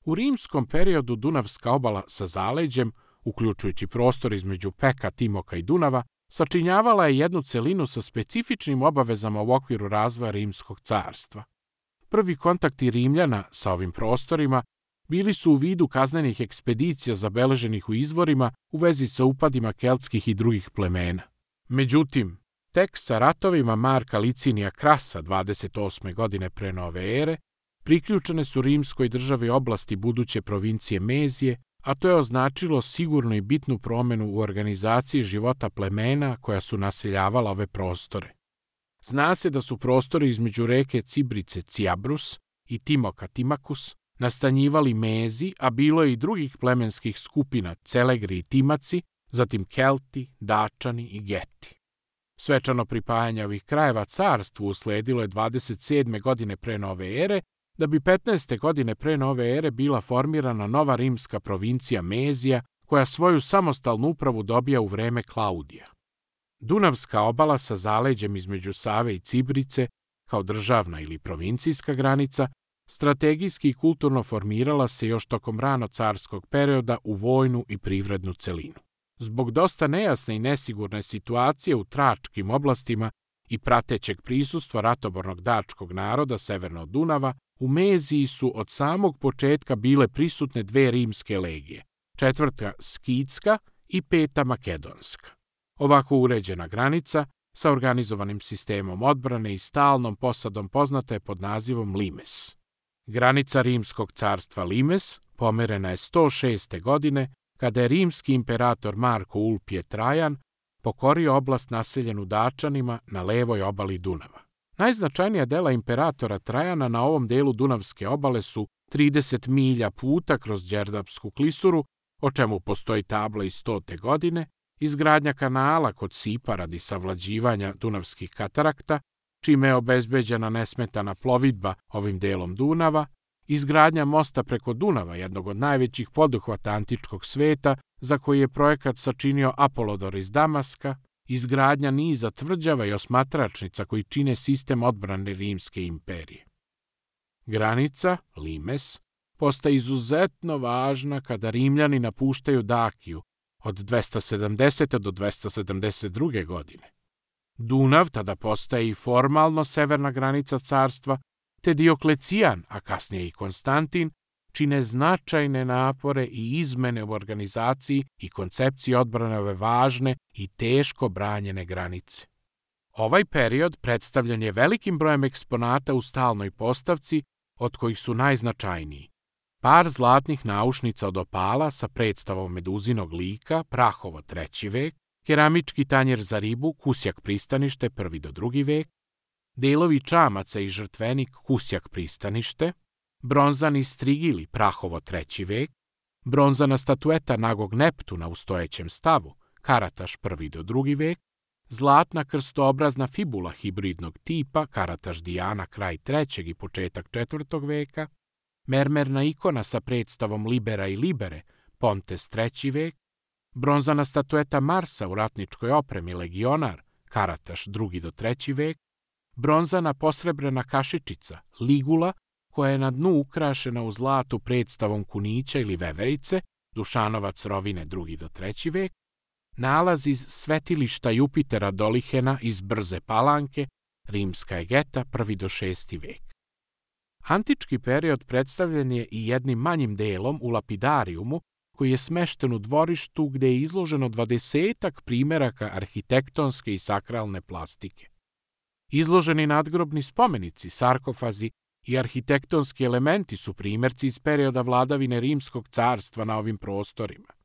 U rimskom periodu Dunavska obala sa zaleđem, uključujući prostor između Peka, Timoka i Dunava, sačinjavala je jednu celinu sa specifičnim obavezama u okviru razvoja Rimskog carstva. Prvi kontakti Rimljana sa ovim prostorima bili su u vidu kaznenih ekspedicija zabeleženih u izvorima u vezi sa upadima keltskih i drugih plemena. Međutim, tek sa ratovima Marka Licinija Krasa 28. godine pre nove ere priključene su rimskoj državi oblasti buduće provincije Mezije, a to je označilo sigurno i bitnu promenu u organizaciji života plemena koja su naseljavala ove prostore. Zna se da su prostori između reke Cibrice Ciabrus i Timoka Timakus nastanjivali Mezi, a bilo je i drugih plemenskih skupina Celegri i Timaci, zatim Kelti, Dačani i Geti. Svečano pripajanje ovih krajeva carstvu usledilo je 27. godine pre nove ere, da bi 15. godine pre nove ere bila formirana nova rimska provincija Mezija, koja svoju samostalnu upravu dobija u vreme Klaudija. Dunavska obala sa zaleđem između Save i Cibrice, kao državna ili provincijska granica, strategijski i kulturno formirala se još tokom rano carskog perioda u vojnu i privrednu celinu. Zbog dosta nejasne i nesigurne situacije u tračkim oblastima i pratećeg prisustva ratobornog dačkog naroda severno od Dunava, u Meziji su od samog početka bile prisutne dve rimske legije, 4. Skitska i 5. Makedonska. Ovako uređena granica, sa organizovanim sistemom odbrane i stalnom posadom poznata je pod nazivom Limes. Granica Rimskog carstva Limes pomerena je 106. godine, kada je rimski imperator Marko Ulpije Trajan pokorio oblast naseljenu Dačanima na levoj obali Dunava. Najznačajnija dela imperatora Trajana na ovom delu Dunavske obale su 30 milja puta kroz Đerdapsku klisuru, o čemu postoji tabla iz 100. godine, izgradnja kanala kod Sipa radi savlađivanja Dunavskih katarakta, čime je obezbeđena nesmetana plovidba ovim delom Dunava, izgradnja mosta preko Dunava, jednog od najvećih poduhvata antičkog sveta, za koji je projekat sačinio Apolodor iz Damaska, izgradnja niza tvrđava i osmatračnica koji čine sistem odbrane Rimske imperije. Granica, Limes, postaje izuzetno važna kada Rimljani napuštaju Dakiju od 270. do 272. godine. Dunav tada postaje i formalno severna granica carstva, te Dioklecijan, a kasnije i Konstantin, čine značajne napore i izmene u organizaciji i koncepciji odbrane ove važne i teško branjene granice. Ovaj period predstavljen je velikim brojem eksponata u stalnoj postavci, od kojih su najznačajniji par zlatnih naušnica od opala sa predstavom meduzinog lika, Prahovo 3. vek, keramički tanjer za ribu, Kusjak pristanište 1. do 2. vek, delovi čamaca i žrtvenik, Kusjak pristanište, bronzani strigili, Prahovo 3. vek, bronzana statueta nagog Neptuna u stojećem stavu, Karataš 1. do 2. vek, zlatna krstoobrazna fibula hibridnog tipa, Karataš Dijana kraj 3. i početak 4. veka, mermerna ikona sa predstavom Libera i Libere, Pontes 3. vek, bronzana statueta Marsa u ratničkoj opremi Legionar, Karataš 2. do 3. vek, bronzana posrebrena kašičica, Ligula, koja je na dnu ukrašena u zlatu predstavom kunića ili veverice, Dušanovac rovine 2. do 3. vek, nalaz iz svetilišta Jupitera Dolihena iz Brze Palanke, Rimska Egeta 1. do 6. vek. Antički period predstavljen je i jednim manjim delom u lapidarijumu, koji je smešten u dvorištu gde je izloženo 20-ak primeraka arhitektonske i sakralne plastike. Izloženi nadgrobni spomenici, sarkofazi i arhitektonski elementi su primerci iz perioda vladavine Rimskog carstva na ovim prostorima.